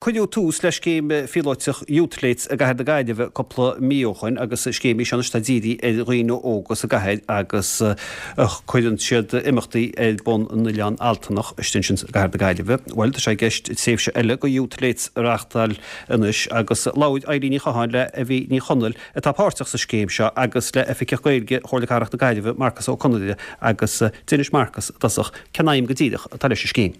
Cuireadh tús le scéim phíolóiteach Youthletes i gcathair na Gaillimhe cúpla mí ó shoin agus scéim í seo anois atá dírithe ar dhaoine óga sa gcathair agus cuireann siad imeachtaí ar bun in Oileán Altanach istigh ansin i gcathair na Gaillimhe. Bhuel, tá sé i gceist tréimhse eile go Youthletes a reáchtáil anois agus labhair Eilín Ní Chatháin le Evie Ní Chonaill atá páirteach sa scéim seo agus le Oifigeach Gaeilge Chomhairle Cathrach na Gaillimhe, Marcus Ó Conaire agus d'inis Marcus i dtosach cén aidhm go díreach atá leis an scéim.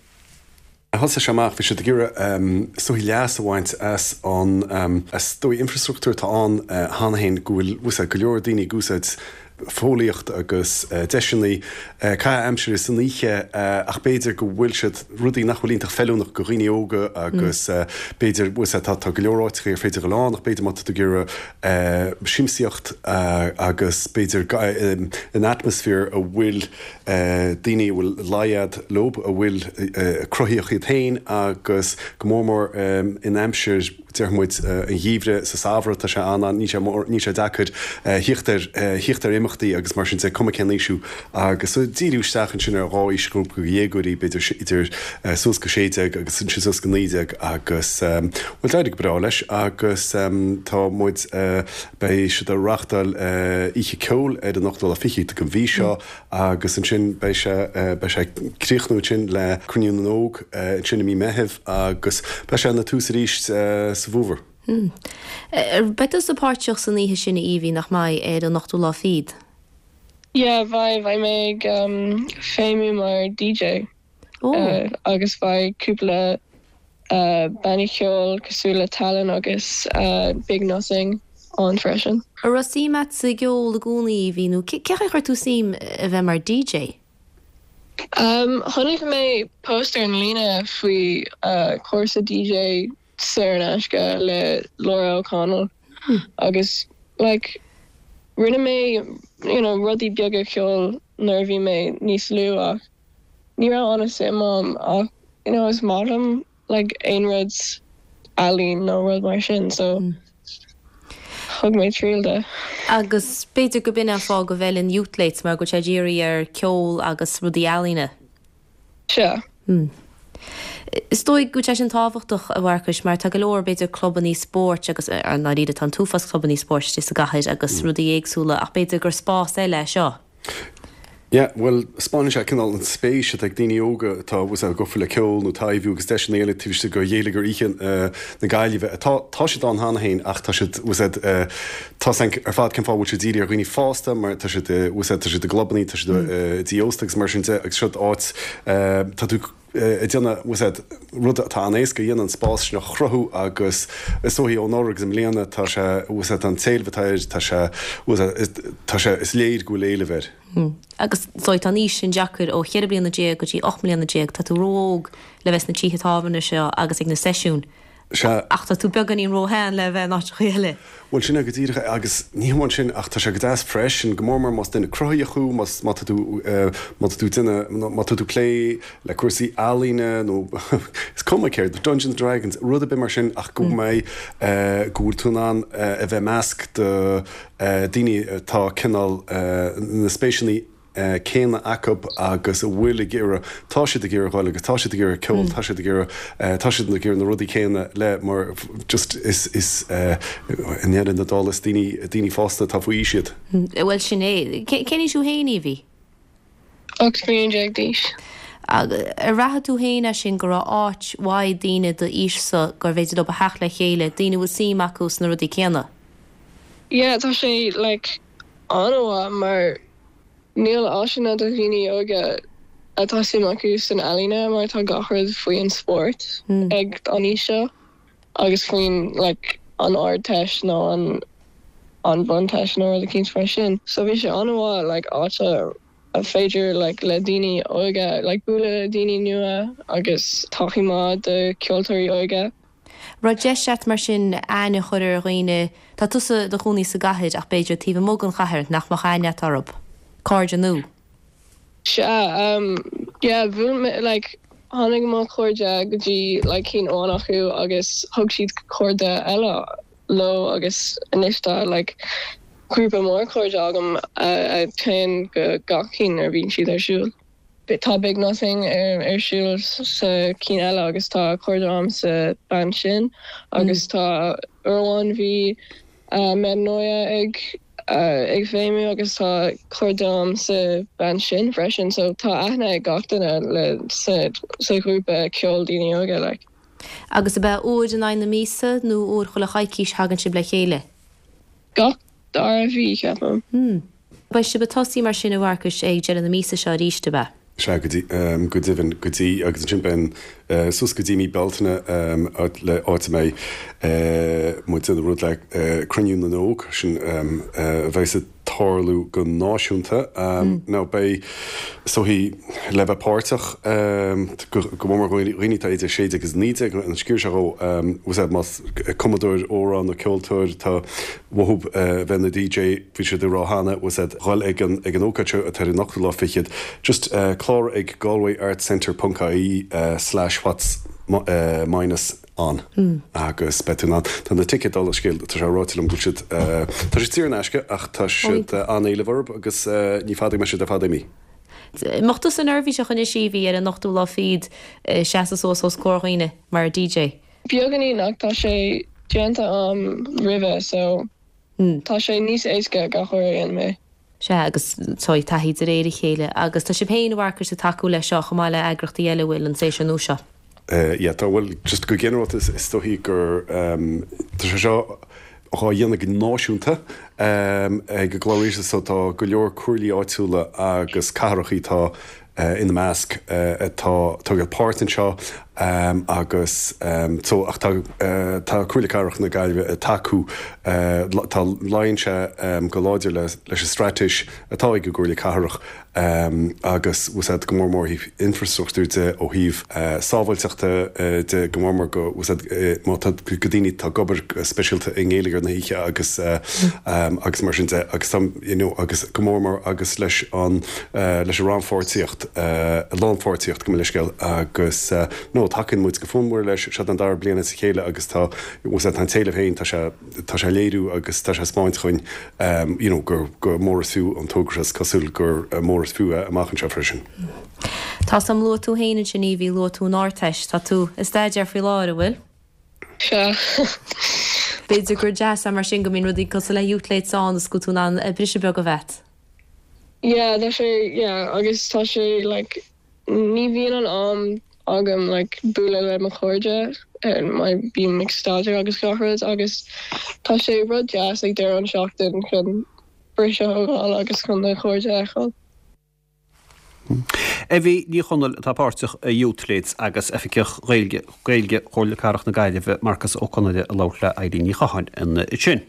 Thosaigh sé amach, bhí siad ag iarraidh is dóigh leas a bhaint as an, is dóigh infreastruchtúr atá ann cheana féin go bhfuil, bhfuil go leor daoine ag úsáid fóillíocht agus deiseanna caitheamh aimsire san oíche ach b'fhéidir go bhfuil siad, rudaí nach bhfuil iontach feiliúnach go dhaoine óga agus b'fhéidir, bhfuil tá, tá go leor áiteacha ar féidir dhul ann ach b'fhéidir má tá tú ag iarraidh siamsaíocht agus b'fhéidir in atmaisféar a bhfuil daoine a bhfuil laghad leo, a bhfuil cruthaíoch iad féin agus go mór mór in aimsir, déarfaidh muid, an gheimhridh, sa samhradh, tá sé an, níl sé mór, níl sé deacair thíocht ar, thíocht ar imeachtaí agus mar sin de, cuma cén aois thú. Agus díriú isteach ansin ar dhá aoisghrúpa dhéagóirí, b'fhéidir idir suas go 16 agus ansin suas go 19 agus, bhuel, d'éirigh go breá leis agus tá muid, Beidh siad ag reáchtáil oíche ceoil ar an ochtú lá fichead den mhí seo agus ansin beidh sé beidh sé ag críochnú ansin le Cruinniú na nÓg ansin i mí Meithimh agus beidh sé ina tús arís sa bhfómhar. Beidh tusa páirteach san oíche sin a Evie, nach mbeidh, ar an ochtú lá fichead? Yeah, beidh, beidh mé ag feidhmiú mar DJ. Agus beidh cúpla bannaí ceoil cosúil le Talon agus Big Nothing ann freisin. An raibh suim agat sa gceol i gcónaí, Evie, nó cé chaoi a chuir tú suim a bheith mar DJ? Chonaic mé post ar an líne faoi cúrsa DJ saor in aisce le Laura O'Connell agus like rinne mé you know rudaí beaga ceoil nuair a bhí mé níos lú ach ní raibh an-suim a'm ach you know is maith liom like aon rud ealaín nó rud mar sin so thug mé triail de. Agus b'fhéidir go b'in an fáth go bhfeileann Youthletes mar go bhfuil sé dírithe ar ceol agus rudaí ealaíne. Sea. Is dóigh go bhfuil sé sin tábhachtach, a Mharcais, mar tá go leor, b'fhéidir, clubannaí spóirt agus, i ndáiríre, tá an t-uafás clubannaí spóirt istigh sa gcathair agus rudaí éagsúla ach b'fhéidir gur spás eile é seo. Yeah, bhuel, 'spáineann sé cineál an spéis atá ag daoine óga atá, bhfuil a fhios agat, gafa le ceol nó taibhiú agus deiseanna eile taobh istigh de gheilleagar oíche na Gaillimhe. Tá, tá siad ann cheana féin ach tá siad, bhfuil a fhios agat, tá a fhios againn ar fad cén fáth a bhfuil siad dírithe ar dhaoine fásta mar tá siad, bhfuil a fhios agat, tá siad i gclubannaí, tá siad i dtithe ósta agus mar sin de agus seo áit, tá tú ag déanamh, bhfuil a fhios agat, rud atá an-éasca a dhéanamh, an spás sin a chruthú agus is dóichí ó anuraidh agus i mbliana tá sé, bhfuil a fhios agat, an t-éileamh atá air, tá sé, bhfuil a fhios agat, tá sé, is léir go bhfuil éileamh air. Agus is dóigh tá an aois sin deacair, ó cheithre bliana déag go dtí 18 mbliana, tá tú ró-óg le bheith sna tithe tábhairne seo agus ag na seisiúin. Sea. Ach tá tú beagáinín róshean le bheith in áiteacha eile. Bhuel, sin é go díreach é. Agus ní hamháin sin, ach tá sé go deas freisin, go mór mór más duine cruthaíoch thú, más, má tá tú, má tá tú ag déanamh, má tá tú ag plé le cúrsaí ealaíne nó is cuma céard, Dungeons and Dragons, rud ar bith mar sin ach go mbeidh, go bhfuil tú in ann a bheith i measc de daoine atá cineál na spéiseanna céanna acu agus a bhfuil ag iarraidh, tá siad ag iarraidh dhul agus tá siad ag iarraidh ceol, tá siad ag iarraidh, tá siad ag iarraidh na rudaí céanna le mar just is, is i ndeireadh na dála is daoine, daoine fásta atá faoi aois iad. Bhuel sin é. Cén aois thú féin, Evie? 18 bliain d'aois. Ar bhraith tú féin é sin go raibh áit mhaith daoine d'aois-sa gurbh fhéidir leo a theacht le chéile, daoine a bhfuil suim acu sna rudaí céanna? Yeah, tá sé like an-mhaith mar Níl áiseanna do dhaoine óga atá suim acu san ealaíne mar tá gach rud faoi an spórt ag an aois seo agus faoin like an Ardteist nó an an Bhunteist nó rud eicínt mar sin. So bhí sé an-mhaith like áit a a féidir like le daoine óga like bualadh le daoine nua agus tacaí maith do ceoltóirí óga. Raibh deis a't mar sin aithne a chur ar dhaoine, tá tusa i do chónaí sa gcathair ach b'fhéidir taobh amuigh den chathair nach mbeadh aithne a't orthub? Cairde nua? Sea, yeah, bhuail mé, like, tháinig mo chairde go dtí, like, cinn amháin acu agus thug siad cairde eile leo agus anois tá, like, grúpa mór cairde agam a théann go gach cinn nuair a bhíonn siad ar siúl. tá Big Nothing ar siúl sa cinn eile agus tá cairde a'm sa band sin agus tá uair amháin bhí Metanoia ag ag feidhmiú agus tá cairde a'm sa band sin freisin so tá aithne ag gach duine le sa sa ghrúpa ceoil daoine óga like. Agus ab ea uair in aghaidh na míosa nó uair chuile choicís thagann sibh le chéile? Gach dara mhí, ceapaim. Hmm. Beidh sibh ag tosaí mar sin a Mharcais ag deireadh na míosa seo arís, ab ea? Sea, go dtí, go deimhin, go dtí, agus ansin beidh suas go dtí mí Bealtaine le áit a mbeidh muid ag déanamh rud le Cruinniú na nÓg, sin a bheas ag tarlú go náisiúnta. Now beidh, is dóichí, le bheith páirteach, go mór mór dhaoine atá idir 16 agus 19, an sciar seo dhó, bhfuil a fhios agat, más cumadóir amhrán nó ceoltóir atá uathu bheith ina DJ, bhí siad ag rá cheana, bhfuil a fhios agat, dhul ag an ag an ócáid seo atá ar an ochtú lá fichead, just cláraigh ag galwayartscentre ponc ie slash what's minus on agus beidh tú in ann. Tá na ticéid dála an scéil, tá sé ráite liom go bhfuil siad, tá siad saor in aisce ach tá siad an-éileamh orthu agus ní fada go mbeidh siad ar fad imithe. Mbeadh tusa neirbhíseach anois Evie ar an ochtú lá fichead seasamh suas os comhair dhaoine mar DJ? Beagáinín ach tá sé déanta a'm roimhe so tá sé níos éasca gach uair a dhéanaim é. Sea, agus tá taithí de réir a chéile. Agus tá sibh féin, a Mharcais, ag tacú leis seo chomh maith le eagraíochtaí eile a bhfuil an saoirse nua seo. Yeah, tá, bhuel, just go ginearálta is dóichí gur, tá sé seo dhá dhéanamh go náisiúnta ag an gclár rialtais so tá go leor comhairlí áitiúla agus cathrachaí tá ina measc atá ag tógáil páirt anseo agus so ach tá tá Comhairle Cathrach na Gaillimhe ag tacú tá luíonn sé go láidir leis an straitéis atá ag an gComhairle Cathrach agus bhfuil a fhios agat go mór mór ó thaobh infrastruchtúir de ó thaobh sábháilteachta de go mór mór go bhfuil a fhios agat má tá go daoine atá ag obair go speisialta i ngeilleagar na hoíche agus agus mar sin de agus tá you know agus go mór mór agus leis an leis an rannpháirtíocht, lánpháirtíocht gabh mo leithscéal agus no tacaíonn muid go fonnmhar leis, seo an dara bliain as a chéile agus tá, bhfuil a fhios agat, tá an t-éileamh féin, tá sé, tá sé ag léiriú agus tá sé ag 'spáint dhúinn you know gur, gur mór is fiú an togra seo, is cosúil gur mór is fiú é amach anseo freisin. Tá a fhios a'm luaigh tú féin ansin Evie, luaigh tú an Ardteist, tá tú ag staidéar faoi láthair, an bhfuil? Sea. B'fhéidir gur deas é mar sin go mbíonn rudaí cosúil le Youthletes ann is go bhfuil tú in ann briseadh beag a bheith a't. Yeah tá sé yeah agus tá sé like ní bhíonn an am agam like bualadh le mo chairde mar bím ag staidéar agus gach rud agus tá sé rud deas ag deireadh an seachtain chun briseadh a thógáil agus chun do chairde a fheiceáil. Evie Ní Chonaill atá páirteach i Youthletes agus Oifigeach Gaeilge Gaeilge Chomhairle Cathrach na Gaillimhe Marcus Ó Conaire ag labhairt le Eilín Ní Chatháin ansin.